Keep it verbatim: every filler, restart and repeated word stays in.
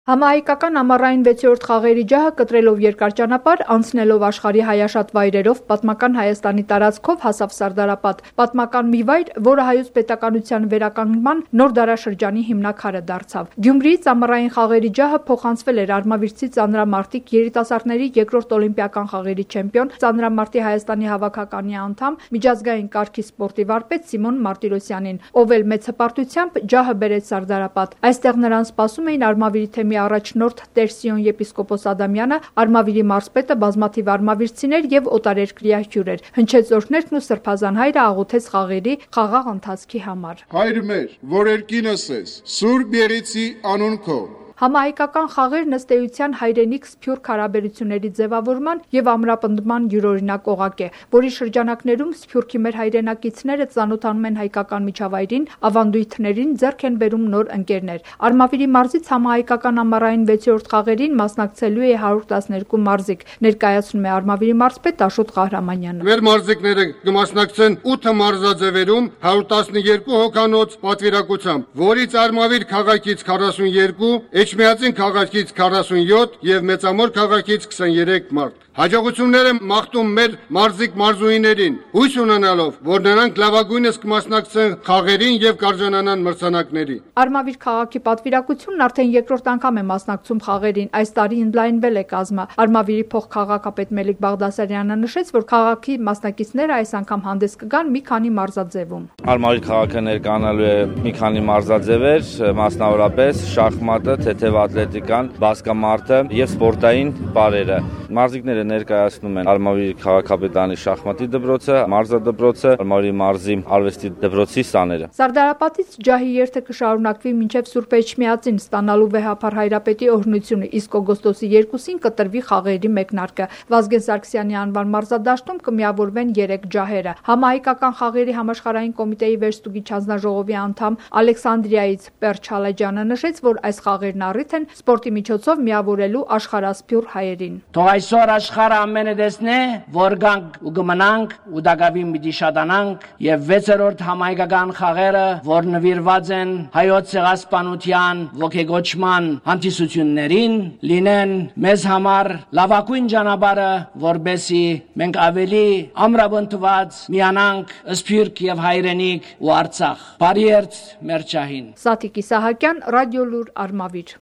Համահայկական ամառային վեցերորդ խաղերի ջահը կտրելով երկար ճանապարհ, անցնելով աշխարհի հայաշատ վայրերով, պատմական Հայաստանի տարածքով հասավ Սարդարապատ, պատմական մի վայր, որը հայոց պետականության վերականգնման նոր դարաշրջանի հիմնաքարը դարձավ։ Գյումրիից ամառային խաղերի ջահը փոխանցվել էր արմավիրցի ծանրամարտիկ երիտասարդների երկրորդ օլիմպիական խաղերի չեմպիոն, ծանրամարտի Հայաստանի հավաքականի անդամ, միջազգային կարգի սպորտի վարպետ Սիմոն Մարտիրոսյանին, ով էլ մեծ հպարտությամբ ջահը բերեց Սարդարապատ։ Այստեղ նրան սպասում էին արմավիրի թեմի առաջնորդ Տեր Սիոն եպիսկոպոս Ադամյանը, Արմավիրի մարզպետը, բազմաթիվ արմավիրցիներ եւ օտարերկրյա հյուրեր։ Հնչեց օրհներգն ու սրբազան հայրը աղոթեց խաղերի խաղաղ ընթացքի համար։ Հայր մեր, որ երկինս ես, Սուրբ Եղիցի անուն քո։ Համահայկական խաղերն ըստ էության հայրենիք սփյուռք հարաբերությունների ձևավորման եւ ամրապնդման յուրօրինակ օղակ է, որի շրջանակներում սփյուռքի մեր հայրենակիցները ծանոթանում են հայկական միջավայրին, ավանդույթներին, ձեռք են բերում նոր ընկերներ։ Արմավիրի մարզից համահայկական ամառային վեցերորդ խաղերին մասնակցելու է հարյուր տասներկու մարզիկ, ներկայացնում է Արմավիրի մարզպետ Աշոտ Ղահրամանյանը։ Մեր մարզիկները կմասնակցեն ութ մարզաձևերում հարյուր տասներկու հոգանոց պատվիրակությամբ, որից Արմավիր քաղաքից քառասունյոթ, Էջմիածին քաղաքից քառասունյոթ եւ Մեծամոր քաղաքից քսաներեք մարդ։ Հաջողություններ եմ մաղթում մեր մարզիկ մարզուհիներին, հույս ունենալով, որ նրանք լավագույնս կմասնակցեն խաղերին եւ կարժանանան մրցանակների։ Արմավիր քաղաքի պատվիրակությունն արդեն երկրորդ անգամ է մասնակցում խաղերին, այս տարի ընդլայնվել է կազմը։ Արմավիրի փոխքաղաքապետ Մելիք Բաղդասարյանը նշեց, որ քաղաքի մասնակիցները այս անգամ հանդես կգան մի քանի մարզաձևում։ Արմավիր քաղաքը ներկայանալու է մի քանի մարզաձևեր, մասնավորապես շախմատը, թեթև ատլետիկան, բասկամարտը եւ սպորտային պարերը։ Մարզիկները ներկայացնում են Արմավիրի քաղաքապետարանի շախմատի դպրոցը, մարզադպրոցը, Արմավիրի մարզի արվեստի դպրոցի սաները։ Սարդարապատից ջահի երթը կշարունակվի մինչև Սուրբ Էջմիածին ստանալու վեհափառ հայրապետի օրհնությունը, իսկ օգոստոսի երկուսին կտրվի խաղերի մեկնարկը։ Վազգեն Սարգսյանի անվան մարզադաշտում կմիավորվեն երեք ջահերը։ Համահայկական խաղերի համաշխարհային կոմիտեի վերստուգիչ հանձնաժողովի անդամ Ալեքսանդրիայից Պերճ Հալաջյանը նշեց, որ այս խաղերն առիթ են սպորտի միջոցով միավորելու աշխարհասփյուռ հայերին։ Այսօր աշխարհը ամենը տեսնե, որ գանք ու գմնանք ու դակավին պիտի շատանանք եւ վեցերորդ համահայկական խաղերը, որ նվիրված են հայոց ցեղասպանության ոգեգոճման հանդիսություններին, լինեն մեզ համար լավագույն ճանապարհը, որբեսի մենք ավելի ամրապնդված միանանք սփյուռք եւ հայրենիք ու Արցախ։ Բարի երթ մեր ջահին։ Սաթիկ Իսահակյան, Ռադիոլուր, Արմավիր։